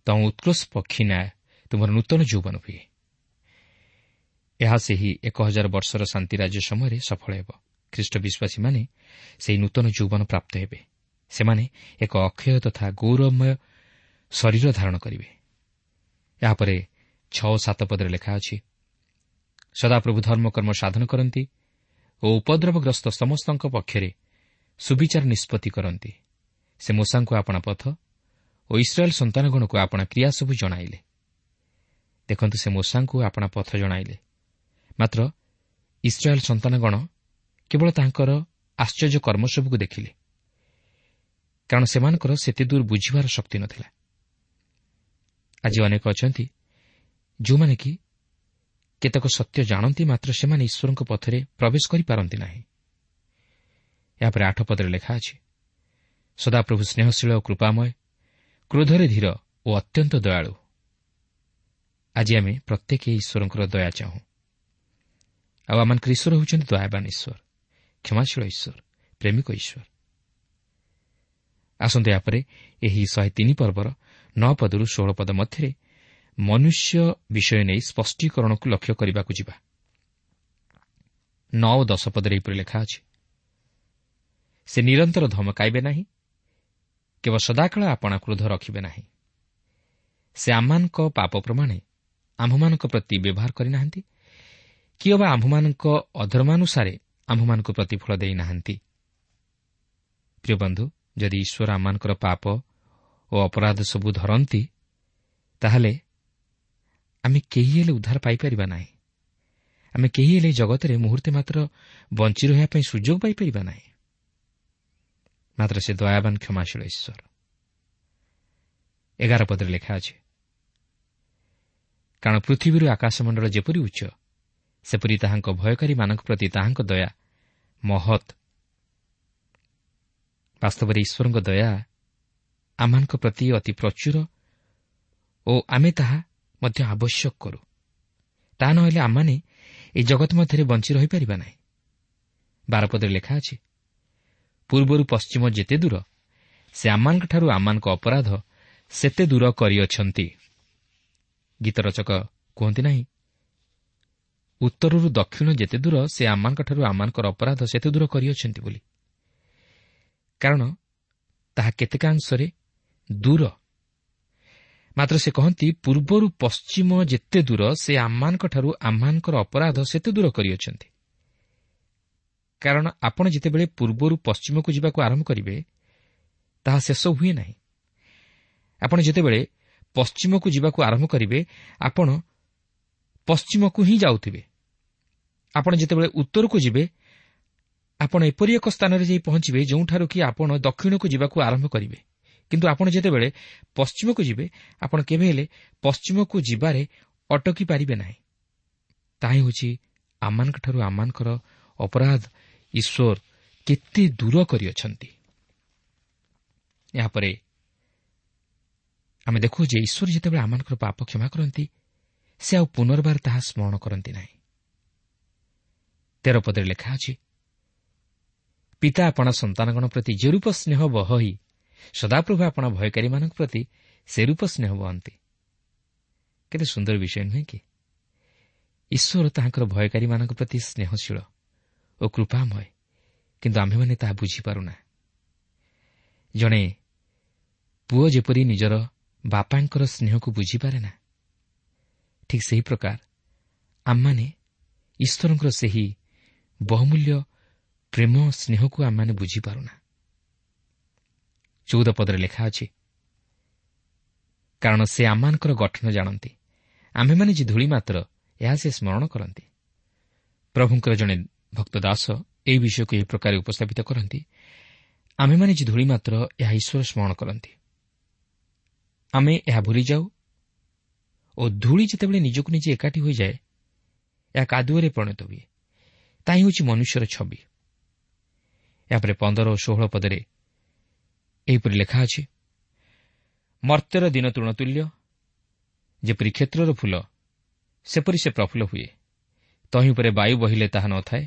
ତମ ଉତ୍କୃଷ୍ଟ ପକ୍ଷୀ ନ୍ୟାୟ ତୁମର ନୂତନ ଯୌବନ ହୁଏ। ଏହା ସେହି ଏକ ହଜାର ବର୍ଷର ଶାନ୍ତି ରାଜ୍ୟ ସମୟରେ ସଫଳ ହେବ। ଖ୍ରୀଷ୍ଟ ବିଶ୍ୱାସୀମାନେ ସେହି ନୂତନ ଯୌବନ ପ୍ରାପ୍ତ ହେବେ। ସେମାନେ ଏକ ଅକ୍ଷୟ ତଥା ଗୌରବମୟ ଶରୀର ଧାରଣ କରିବେ। ଏହାପରେ ଛଅ ସାତ ପଦରେ ଲେଖା ଅଛି, ସଦାପ୍ରଭୁ ଧର୍ମକର୍ମ ସାଧନ କରନ୍ତି ଓ ଉପଦ୍ରବଗ୍ରସ୍ତ ସମସ୍ତଙ୍କ ପକ୍ଷରେ ସୁବିଚାର ନିଷ୍ପତ୍ତି କରନ୍ତି। ସେ ମୋଶାଙ୍କୁ ଆପଣା ପଥ ଓ ଇସ୍ରାଏଲ୍ ସନ୍ତାନଗଣକୁ ଆପଣା କ୍ରିୟା ସବୁ ଜଣାଇଲେ। ଦେଖନ୍ତୁ, ସେ ମୋଶାଙ୍କୁ ଆପଣା ପଥ ଜଣାଇଲେ, ମାତ୍ର ଇସ୍ରାଏଲ୍ ସନ୍ତାନଗଣ କେବଳ ତାଙ୍କର ଆଶ୍ଚର୍ଯ୍ୟ କର୍ମ ସବୁକୁ ଦେଖିଲେ, କାରଣ ସେମାନଙ୍କର ସେତେ ଦୂର ବୁଝିବାର ଶକ୍ତି ନଥିଲା। ଆଜି ଅନେକ ଅଛନ୍ତି ଯେଉଁମାନେ କି କେତେକ ସତ୍ୟ ଜାଣନ୍ତି, ମାତ୍ର ସେମାନେ ଈଶ୍ୱରଙ୍କ ପଥରେ ପ୍ରବେଶ କରିପାରନ୍ତି ନାହିଁ। ଏହାପରେ ଆଠ ପଦରେ ଲେଖା ଅଛି, ସଦାପ୍ରଭୁ ସ୍ନେହଶୀଳ ଓ କୃପାମୟ, କ୍ରୋଧରେ ଧୀର ଓ ଅତ୍ୟନ୍ତ ଦୟାଳୁ। ଆଜି ଆମେ ପ୍ରତ୍ୟେକ ଈଶ୍ୱରଙ୍କର ଦୟା ଚାହୁଁ, ଆଉ ଆମମାନଙ୍କର ଈଶ୍ୱର ହେଉଛନ୍ତି ଦୟାବାନ ଈଶ୍ୱର, କ୍ଷମାଶୀଳ ଈଶ୍ୱର, ପ୍ରେମିକ ଈଶ୍ୱର। ଆସନ୍ତୁ ଏହାପରେ ଏହି ଶହେ ତିନି ପର୍ବର ନଅ ପଦରୁ ଷୋହଳ ପଦ ମଧ୍ୟରେ ମନୁଷ୍ୟ ବିଷୟ ନେଇ ସ୍ପଷ୍ଟୀକରଣକୁ ଲକ୍ଷ୍ୟ କରିବାକୁ ଯିବା। ନଅ ଓ ଦଶ ପଦରେ ଏହିପରି ଲେଖା ଅଛି, ସେ ନିରନ୍ତର ଧମକାଇବେ ନାହିଁ, କେବଳ ସଦାକାଳ ଆପଣା କ୍ରୋଧ ରଖିବେ ନାହିଁ। ସେ ଆମମାନଙ୍କ ପାପ ପ୍ରମାଣେ ଆମ୍ଭମାନଙ୍କ ପ୍ରତି ବ୍ୟବହାର କରିନାହାନ୍ତି, କି ଅବା ଆମ୍ଭମାନଙ୍କ ଅଧର୍ମାନୁସାରେ ଆମ୍ଭମାନଙ୍କୁ ପ୍ରତିଫଳ ଦେଇନାହାନ୍ତି। ପ୍ରିୟ ବନ୍ଧୁ, ଯଦି ଈଶ୍ୱର ଆମମାନଙ୍କର ପାପ ଓ ଅପରାଧ ସବୁ ଧରନ୍ତି, ତାହେଲେ ଆମେ କେହି ହେଲେ ଉଦ୍ଧାର ପାଇପାରିବା ନାହିଁ। ଆମେ କେହି ହେଲେ ଜଗତରେ ମୁହୂର୍ତ୍ତେ ମାତ୍ର ବଞ୍ଚି ରହିବା ପାଇଁ ସୁଯୋଗ ପାଇପାରିବା ନାହିଁ। ମାତ୍ର ସେ ଦୟାବାନ କ୍ଷମାଶୀଳ ଈଶ୍ୱର। ଏଗାର ପଦରେ ଲେଖା ଅଛି, କାରଣ ପୃଥିବୀରୁ ଆକାଶମଣ୍ଡଳ ଯେପରି ଉଚ୍ଚ, ସେପରି ତାହାଙ୍କ ଭୟକାରୀମାନଙ୍କ ପ୍ରତି ତାହାଙ୍କ ଦୟା ମହତ୍। ବାସ୍ତବରେ ଈଶ୍ୱରଙ୍କ ଦୟା ଆମମାନଙ୍କ ପ୍ରତି ଅତି ପ୍ରଚୁର ଓ ଆମେ ତାହା ମଧ୍ୟ ଆବଶ୍ୟକ କରୁ। ତାହା ନହେଲେ ଆମମାନେ ଏହି ଜଗତ ମଧ୍ୟରେ ବଞ୍ଚି ରହିପାରିବା ନାହିଁ। ବାରପଦରେ ଲେଖା ଅଛି, ପୂର୍ବରୁ ପଶ୍ଚିମ ଯେତେ ଦୂର, ସେ ଆମମାନଙ୍କଠାରୁ ଆମମାନଙ୍କ ଅପରାଧ ସେତେ ଦୂର କରିଅଛନ୍ତି। ଗୀତ ରଚକ କୁହନ୍ତି ନାହିଁ, ଉତ୍ତରରୁ ଦକ୍ଷିଣ ଯେତେ ଦୂର, ସେ ଆମମାନଙ୍କଠାରୁ ଆମମାନଙ୍କର ଅପରାଧ ସେତେ ଦୂର କରିଅଛନ୍ତି ବୋଲି। କାରଣ ତାହା କେତେକାଂଶରେ ଦୂର, ମାତ୍ର ସେ କହନ୍ତି ପୂର୍ବରୁ ପଶ୍ଚିମ ଯେତେ ଦୂର, ସେ ଆମମାନଙ୍କଠାରୁ ଆମମାନଙ୍କର ଅପରାଧ ସେତେ ଦୂର କରିଅଛନ୍ତି। କାରଣ ଆପଣ ଯେତେବେଳେ ପୂର୍ବରୁ ପଶ୍ଚିମକୁ ଯିବାକୁ ଆରମ୍ଭ କରିବେ, ତାହା ଶେଷ ହୁଏ ନାହିଁ। ଆପଣ ଯେତେବେଳେ ପଶ୍ଚିମକୁ ଯିବାକୁ ଆରମ୍ଭ କରିବେ, ଆପଣ ପଶ୍ଚିମକୁ ହିଁ ଯାଉଥିବେ। ଆପଣ ଯେତେବେଳେ ଉତ୍ତରକୁ ଯିବେ, ଆପଣ ଏପରି ଏକ ସ୍ଥାନରେ ଯାଇ ପହଞ୍ଚିବେ ଯେଉଁଠାରୁ କି ଆପଣ ଦକ୍ଷିଣକୁ ଯିବାକୁ ଆରମ୍ଭ କରିବେ। କିନ୍ତୁ ଆପଣ ଯେତେବେଳେ ପଶ୍ଚିମକୁ ଯିବେ, ଆପଣ କେବେ ହେଲେ ପଶ୍ଚିମକୁ ଯିବାରେ ଅଟକି ପାରିବେ ନାହିଁ। ତାହା ହେଉଛି ଆମମାନଙ୍କଠାରୁ ଆମମାନଙ୍କର ଅପରାଧ ଈଶ୍ୱର କେତେ ଦୂର କରିଅଛନ୍ତି। ଏହାପରେ ଆମେ ଦେଖୁ ଯେ ଈଶ୍ୱର ଯେତେବେଳେ ଆମମାନଙ୍କର ପାପ କ୍ଷମା କରନ୍ତି, ସେ ଆଉ ପୁନର୍ବାର ତାହା ସ୍ମରଣ କରନ୍ତି ନାହିଁ। ତେର ପଦରେ ଲେଖା ଅଛି, ପିତା ଆପଣା ସନ୍ତାନଗଣ ପ୍ରତି ଯେ ରୂପ ସ୍ନେହ ବହଇ, ସଦାପ୍ରଭୁ ଆପଣା ଭୟକାରୀମାନଙ୍କ ପ୍ରତି ସେ ରୂପ ସ୍ନେହ ବହନ୍ତି। କେତେ ସୁନ୍ଦର ବିଷୟ ନୁହେଁ କି? ଈଶ୍ୱର ତାହାଙ୍କର ଭୟକାରୀମାନଙ୍କ ପ୍ରତି ସ୍ନେହଶୀଳ ଓ କୃପାମୟ, କିନ୍ତୁ ଆମ୍ଭେମାନେ ତାହା ବୁଝିପାରୁନା। ଜଣେ ପୁଅ ଯେପରି ନିଜର ବାପାଙ୍କର ସ୍ନେହକୁ ବୁଝିପାରେ ନା, ଠିକ୍ ସେହି ପ୍ରକାର ଆମମାନେ ଈଶ୍ୱରଙ୍କର ସେହି ବହୁମୂଲ୍ୟ ପ୍ରେମ ସ୍ନେହକୁ ଆମମାନେ ବୁଝିପାରୁନା। ଚଉଦ ପଦରେ ଲେଖା ଅଛି, କାରଣ ସେ ଆମମାନଙ୍କର ଗଠନ ଜାଣନ୍ତି, ଆମ୍ଭେମାନେ ଯେ ଧୂଳି ମାତ୍ର, ଏହା ସେ ସ୍ମରଣ କରନ୍ତି। ପ୍ରଭୁଙ୍କର ଜଣେ ଭକ୍ତ ଦାସ ଏହି ବିଷୟକୁ ଏହି ପ୍ରକାର ଉପସ୍ଥାପିତ କରନ୍ତି, ଆମ୍ଭେମାନେ ଯେ ଧୂଳି ମାତ୍ର, ଏହା ଈଶ୍ୱର ସ୍ମରଣ କରନ୍ତି। ଆମେ ଏହା ଭୁଲିଯାଉ ଓ ଧୂଳି ଯେତେବେଳେ ନିଜକୁ ନିଜେ ଏକାଠି ହୋଇଯାଏ, ଏହା କାଦୁଅରେ ପରିଣତ ହୁଏ। ତାହା ହେଉଛି ମନୁଷ୍ୟର ଛବି। ଏହାପରେ ପନ୍ଦର ଓ ଷୋହଳ ପଦରେ ଏହିପରି ଲେଖା ଅଛି, ମର୍ତ୍ତ୍ୟର ଦିନ ତୃଣତୁଲ୍ୟ, ଯେପରି କ୍ଷେତ୍ରର ଫୁଲ ସେପରି ସେ ପ୍ରଫୁଲ୍ଲ ହୁଏ। ତହିଁ ଉପରେ ବାୟୁ ବହିଲେ ତାହା ନଥାଏ,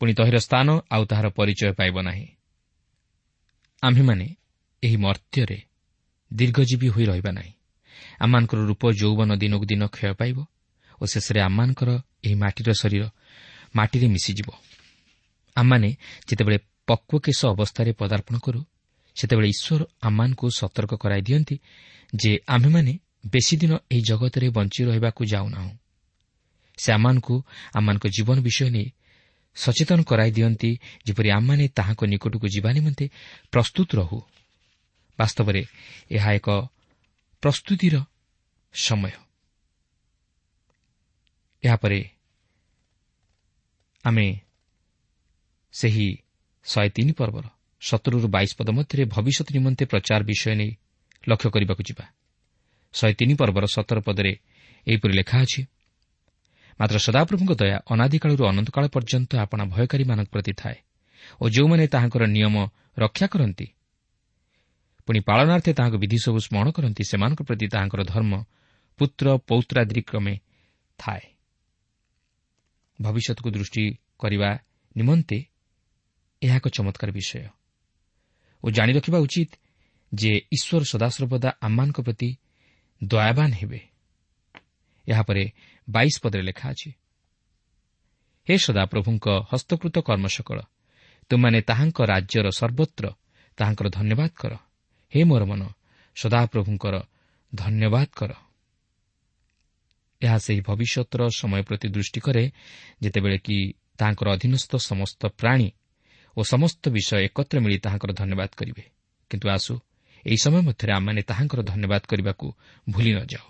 ପୁଣି ତହିଁର ସ୍ଥାନ ଆଉ ତାହାର ପରିଚୟ ପାଇବ ନାହିଁ। ଆମ୍ଭେମାନେ ଏହି ମର୍ତ୍ତ୍ୟରେ ଦୀର୍ଘଜୀବୀ ହୋଇ ରହିବା ନାହିଁ। ଆମମାନଙ୍କର ରୂପ ଯୌବନ ଦିନକୁ ଦିନ କ୍ଷୟ ପାଇବ ଓ ଶେଷରେ ଆମମାନଙ୍କର ଏହି ମାଟିର ଶରୀର ମାଟିରେ ମିଶିଯିବ। ଆମମାନେ ଯେତେବେଳେ ପକ୍ୱକେଶ ଅବସ୍ଥାରେ ପଦାର୍ପଣ କରୁ, ସେତେବେଳେ ଈଶ୍ୱର ଆମମାନଙ୍କୁ ସତର୍କ କରାଇ ଦିଅନ୍ତି ଯେ ଆମ୍ଭେମାନେ ବେଶୀ ଦିନ ଏହି ଜଗତରେ ବଞ୍ଚି ରହିବାକୁ ଯାଉନାହୁଁ। ସେ ଆମମାନଙ୍କୁ ଆମମାନଙ୍କ ଜୀବନ ବିଷୟ ନେଇ ସଚେତନ କରାଇ ଦିଅନ୍ତି, ଯେପରି ଆମମାନେ ତାହାଙ୍କ ନିକଟକୁ ଯିବା ନିମନ୍ତେ ପ୍ରସ୍ତୁତ ରହୁ। ବାସ୍ତବରେ ଏହା ଏକ ପ୍ରସ୍ତୁତିର ସମୟ। ଏହାପରେ ଆମେ ସେହି ଶହେ ତିନି ପର୍ବର ସତରରୁ ବାଇଶ ପଦ ମଧ୍ୟରେ ଭବିଷ୍ୟତ ନିମନ୍ତେ ପ୍ରଚାର ବିଷୟ ନେଇ ଲକ୍ଷ୍ୟ କରିବାକୁ ଯିବା। ଶହେ ତିନି ପର୍ବର ସତର ପଦରେ ଏହିପରି ଲେଖା ଅଛି, ମାତ୍ର ସଦାପ୍ରଭୁଙ୍କ ଦୟା ଅନାଦିକାଳରୁ ଅନନ୍ତକାଳ ପର୍ଯ୍ୟନ୍ତ ଆପଣା ଭୟକାରୀମାନଙ୍କ ପ୍ରତି ଥାଏ ଓ ଯେଉଁମାନେ ତାହାଙ୍କର ନିୟମ ରକ୍ଷା କରନ୍ତି, ପୁଣି ପାଳନାର୍ଥେ ତାହାଙ୍କ ବିଧି ସବୁ ସ୍ମରଣ କରନ୍ତି, ସେମାନଙ୍କ ପ୍ରତି ତାହାଙ୍କର ଧର୍ମ ପୁତ୍ର ପୌତ୍ରାଦି କ୍ରମେ ଥାଏ। ଭବିଷ୍ୟତକୁ ଦୃଷ୍ଟି କରିବା ନିମନ୍ତେ ଏହା ଏକ ଚମତ୍କାର ବିଷୟ ଓ ଜାଣି ରଖିବା ଉଚିତ ଯେ ଈଶ୍ୱର ସଦାସର୍ବଦା ଆମମାନଙ୍କ ପ୍ରତି ଦୟାବାନ ହେବେ। ଏହାପରେ ବାଇଶ ପଦରେ ଲେଖା ଅଛି, ହେ ସଦାପ୍ରଭୁଙ୍କ ହସ୍ତକୃତ କର୍ମ ସକଳ, ତୁମମାନେ ତାହାଙ୍କ ରାଜ୍ୟର ସର୍ବତ୍ର ତାହାଙ୍କର ଧନ୍ୟବାଦ କର। ହେ ମୋର ମନ, ସଦାପ୍ରଭୁଙ୍କର ଧନ୍ୟବାଦ କର। ଏହା ସେହି ଭବିଷ୍ୟତର ସମୟ ପ୍ରତି ଦୃଷ୍ଟି କରେ ଯେତେବେଳେ କି ତାହାଙ୍କର ଅଧୀନସ୍ଥ ସମସ୍ତ ପ୍ରାଣୀ ଓ ସମସ୍ତ ବିଷୟ ଏକତ୍ର ମିଳି ତାହାଙ୍କର ଧନ୍ୟବାଦ କରିବେ। କିନ୍ତୁ ଆସୁ ଏହି ସମୟ ମଧ୍ୟରେ ଆମମାନେ ତାହାଙ୍କର ଧନ୍ୟବାଦ କରିବାକୁ ଭୁଲି ନ ଯାଉ।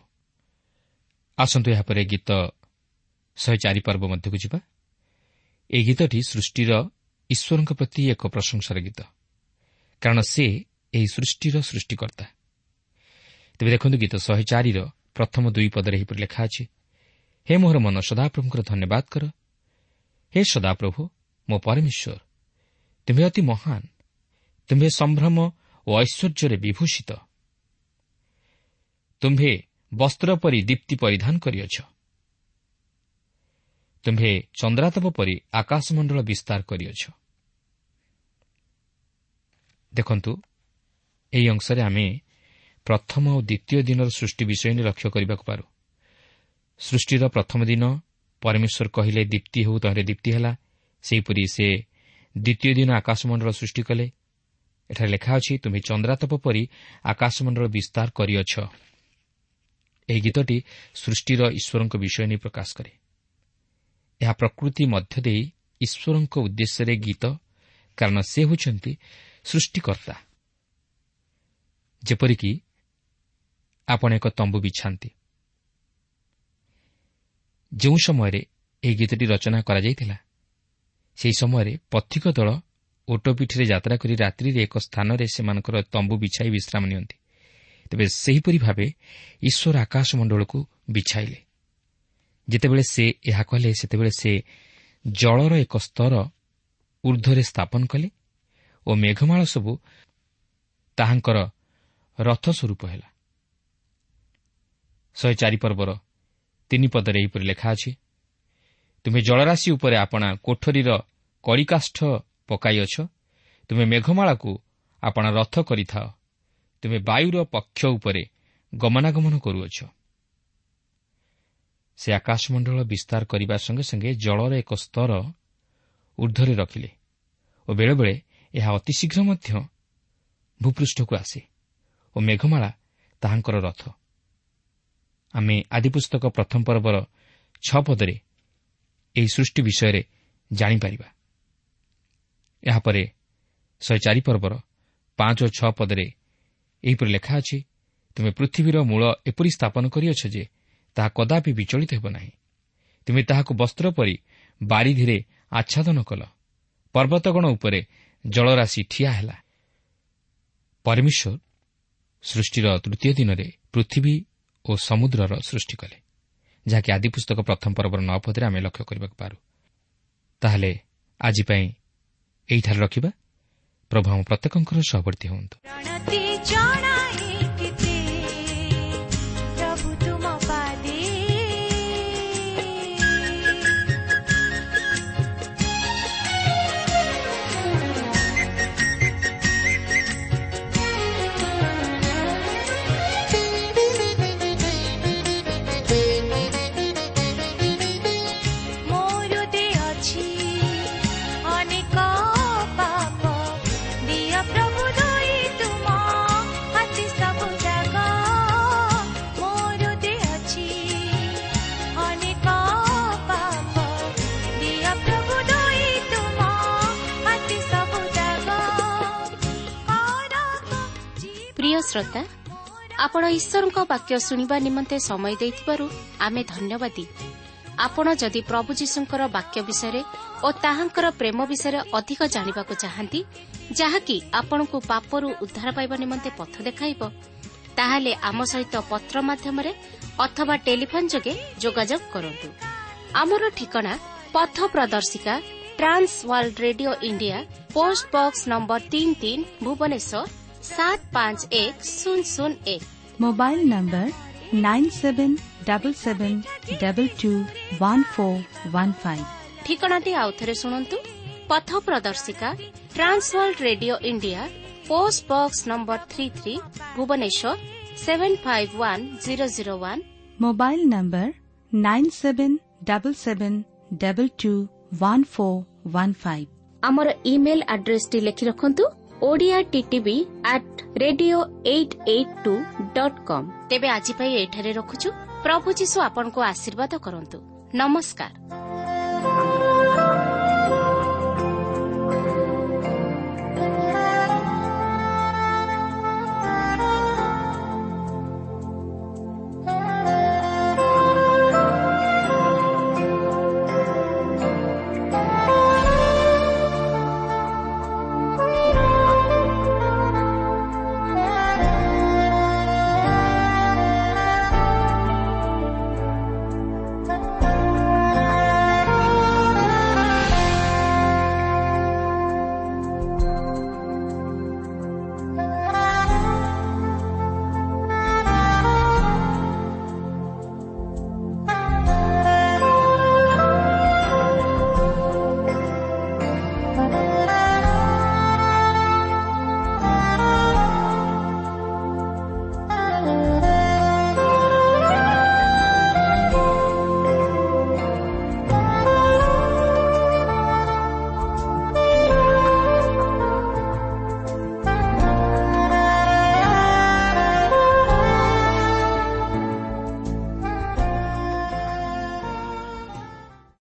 ଆସନ୍ତୁ ଏହାପରେ ଗୀତ ଶହେ ଚାରି ପର୍ବ ମଧ୍ୟକୁ ଯିବା। ଏହି ଗୀତଟି ସୃଷ୍ଟିର ଈଶ୍ୱରଙ୍କ ପ୍ରତି ଏକ ପ୍ରଶଂସାର ଗୀତ, କାରଣ ସେ ଏହି ସୃଷ୍ଟିର ସୃଷ୍ଟିକର୍ତ୍ତା। ତେବେ ଦେଖନ୍ତୁ ଗୀତ ଶହେ ଚାରିର ପ୍ରଥମ ଦୁଇ ପଦରେ ଏହିପରି ଲେଖା ଅଛି, ହେ ମୋହର ମନ, ସଦାପ୍ରଭୁଙ୍କର ଧନ୍ୟବାଦ କର। ହେ ସଦାପ୍ରଭୁ ମୋ ପରମେଶ୍ୱର, ତୁମ୍ଭେ ଅତି ମହାନ, ତୁମ୍ଭେ ସମ୍ଭ୍ରମ ଓ ଐଶ୍ୱର୍ଯ୍ୟରେ ବିଭୂଷିତ, ତୁମ୍ଭେ ବସ୍ତ୍ର ପରି ଦୀପ୍ତି ପରିଧାନ କରିଅଛ, ତୁମ୍ଭେ ଚନ୍ଦ୍ରାତପ ପରି ଆକାଶମଣ୍ଡଳ ବିସ୍ତାର କରିଅଛ। ଦେଖନ୍ତୁ ଏହି ଅଂଶରେ ଆମେ ପ୍ରଥମ ଓ ଦ୍ୱିତୀୟ ଦିନର ସୃଷ୍ଟି ବିଷୟ ନେଇ ଲକ୍ଷ୍ୟ କରିବାକୁ ପାରୁ। ସୃଷ୍ଟିର ପ୍ରଥମ ଦିନ ପରମେଶ୍ୱର କହିଲେ ଦୀପ୍ତି ହେଉ, ତହିଁରେ ଦୀପ୍ତି ହେଲା। ସେହିପରି ସେ ଦ୍ୱିତୀୟ ଦିନ ଆକାଶମଣ୍ଡଳ ସୃଷ୍ଟି କଲେ। ଏଠାରେ ଲେଖା ଅଛି, ତୁମେ ଚନ୍ଦ୍ରାତପ ପରି ଆକାଶମଣ୍ଡଳ ବିସ୍ତାର କରିଅଛ। ଏହି ଗୀତଟି ସୃଷ୍ଟିର ଈଶ୍ୱରଙ୍କ ବିଷୟ ନେଇ ପ୍ରକାଶ କରେ। ଏହା ପ୍ରକୃତି ମଧ୍ୟ ଦେଇ ଈଶ୍ୱରଙ୍କ ଉଦ୍ଦେଶ୍ୟରେ ଗୀତ, କାରଣ ସେ ହେଉଛନ୍ତି ସୃଷ୍ଟିକର୍ତ୍ତା। ଯେପରିକି ଆପଣ ଏକ ତମ୍ବୁ ବିଛାନ୍ତି। ଯେଉଁ ସମୟରେ ଏହି ଗୀତଟି ରଚନା କରାଯାଇଥିଲା, ସେହି ସମୟରେ ପଥିକ ଦଳ ଓଟ ପିଠିରେ ଯାତ୍ରା କରି ରାତ୍ରିରେ ଏକ ସ୍ଥାନରେ ସେମାନଙ୍କର ତମ୍ବୁ ବିଛାଇ ବିଶ୍ରାମ ନିଅନ୍ତି। ତେବେ ସେହିପରି ଭାବେ ଈଶ୍ୱର ଆକାଶମଣ୍ଡଳକୁ ବିଛାଇଲେ। ଯେତେବେଳେ ସେ ଏହା କଲେ, ସେତେବେଳେ ସେ ଜଳର ଏକ ସ୍ତର ଉର୍ଦ୍ଧ୍ୱରେ ସ୍ଥାପନ କଲେ ଓ ମେଘମାଳ ସବୁ ତାହାଙ୍କର ରଥ ସ୍ୱରୂପ ହେଲା। ଶହେ ଚାରି ପର୍ବର ତିନି ପଦରେ ଏହିପରି ଲେଖା ଅଛି, ତୁମେ ଜଳରାଶି ଉପରେ ଆପଣା କୋଠରୀର କଳିକାଷ୍ଠ ପକାଇଅଛ, ତୁମେ ମେଘମାଳାକୁ ଆପଣା ରଥ କରିଥାଅ, ତୁମେ ବାୟୁର ପକ୍ଷ ଉପରେ ଗମନାଗମନ କରୁଅଛ। ସେ ଆକାଶମଣ୍ଡଳ ବିସ୍ତାର କରିବା ସଙ୍ଗେ ସଙ୍ଗେ ଜଳର ଏକ ସ୍ତର ଉର୍ଦ୍ଧ୍ୱରେ ରଖିଲେ ଓ ବେଳେବେଳେ ଏହା ଅତିଶୀଘ୍ର ମଧ୍ୟ ଭୂପୃଷ୍ଠକୁ ଆସେ ଓ ମେଘମାଳା ତାହାଙ୍କର ରଥ। ଆମେ ଆଦିପୁସ୍ତକ ପ୍ରଥମ ପର୍ବର ଛଅ ପଦରେ ଏହି ସୃଷ୍ଟି ବିଷୟରେ ଜାଣିପାରିବା। ଏହାପରେ ଶହେ ଚାରି ପର୍ବର ପାଞ୍ଚ ଓ ଛଅ ପଦରେ ଏହିପରି ଲେଖା ଅଛି, ତୁମେ ପୃଥିବୀର ମୂଳ ଏପରି ସ୍ଥାପନ କରିଅଛ ଯେ ତାହା କଦାପି ବିଚଳିତ ହେବ ନାହିଁ। ତୁମେ ତାହାକୁ ବସ୍ତ୍ର ପରି ବାରିଧିରେ ଆଚ୍ଛାଦନ କଲ, ପର୍ବତଗଣ ଉପରେ ଜଳରାଶି ଠିଆ ହେଲା। ପରମେଶ୍ୱର ସୃଷ୍ଟିର ତୃତୀୟ ଦିନରେ ପୃଥିବୀ ଓ ସମୁଦ୍ରର ସୃଷ୍ଟି କଲେ, ଯାହାକି ଆଦିପୁସ୍ତକ ପ୍ରଥମ ପର୍ବର ନଅ ପଦରେ ଆମେ ଲକ୍ଷ୍ୟ କରିବାକୁ ପାରୁ। ତାହେଲେ ଆଜି ପାଇଁ ଏହିଠାରେ ରଖିବା। ପ୍ରଭୁ ଆମ ପ୍ରତ୍ୟେକଙ୍କର ସହବର୍ତ୍ତୀ ହୁଅନ୍ତୁ। ଶ୍ରୋତା, ଆପଣ ଈଶ୍ୱରଙ୍କ ବାକ୍ୟ ଶୁଣିବା ନିମନ୍ତେ ସମୟ ଦେଇଥିବାରୁ ଆମେ ଧନ୍ୟବାଦୀ। ଆପଣ ଯଦି ପ୍ରଭୁ ଯୀଶୁଙ୍କର ବାକ୍ୟ ବିଷୟରେ ଓ ତାହାଙ୍କର ପ୍ରେମ ବିଷୟରେ ଅଧିକ ଜାଣିବାକୁ ଚାହାନ୍ତି, ଯାହାକି ଆପଣଙ୍କୁ ପାପରୁ ଉଦ୍ଧାର ପାଇବା ନିମନ୍ତେ ପଥ ଦେଖାଇବ, ତାହେଲେ ଆମ ସହିତ ପତ୍ର ମାଧ୍ୟମରେ ଅଥବା ଟେଲିଫୋନ୍ ଯୋଗେ ଯୋଗାଯୋଗ କରନ୍ତୁ। ଆମର ଠିକଣା ପଥ ପ୍ରଦର୍ଶିକା, Trans World Radio India, post box number ତିନି ତିନି, ଭୁବନେଶ୍ୱର ସାତ ପାଞ୍ଚ ଏକ ଶୂନ ଶୂନ ଏକ। Mobile number nine seven double seven double two one four one five. ଠିକଣାଟି ଆଉଥରେ ଶୁଣନ୍ତୁ। ପଥ ପ୍ରଦର୍ଶିକା, Trans World Radio India, post box number three three, Bhubaneswar seven five one zero zero one. Mobile number nine seven double seven double two one four one five. ଆମର email ଆଡ୍ରେସଟି ଲେଖି ରଖନ୍ତୁ, Odia TTV at radio eight eight two dot com. ତେବେ ଆଜି ପାଇଁ ଏଠାରେ ରଖୁଛୁ। ପ୍ରଭୁ ଯୀଶୁ ଆପଣଙ୍କୁ ଆଶୀର୍ବାଦ କରନ୍ତୁ। ନମସ୍କାର।